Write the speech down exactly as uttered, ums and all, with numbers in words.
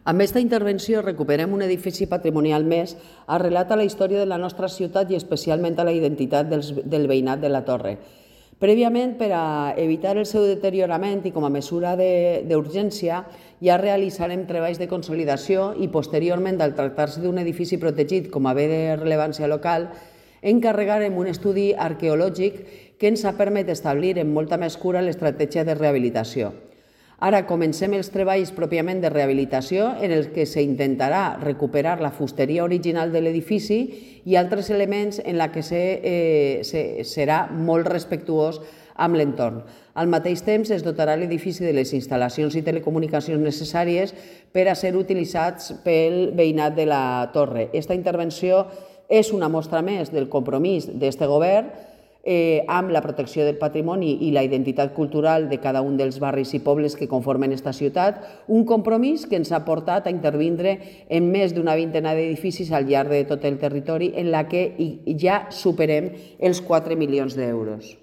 Amb aquesta intervenció recuperem un edifici patrimonial més arrelat a la història de la nostra ciutat i especialment a la identitat del veïnat de la Torre. Prèviament, per a evitar el seu deteriorament i com a mesura d'urgència, ja realitzarem treballs de consolidació i posteriorment, al tractar-se d'un edifici protegit com a bé de rellevància local, encarregarem un estudi arqueològic que ens ha permès establir amb molta més cura l'estratègia de rehabilitació. Ara comencem els treballs pròpiament de rehabilitació en els que s'intentarà recuperar la fusteria original de l'edifici i altres elements en la que serà molt respectuós amb l'entorn. Al mateix temps es dotarà l'edifici de les instal·lacions i telecomunicacions necessàries per a ser utilitzats pel veïnat de la Torre. Aquesta intervenció és una mostra més del compromís d'aquest govern amb la protecció del patrimoni i la identitat cultural de cada un dels barris i pobles que conformen aquesta ciutat, un compromís que ens ha portat a intervindre en més d'una vintena d'edificis al llarg de tot el territori en la que ja superem els quatre milions d'euros.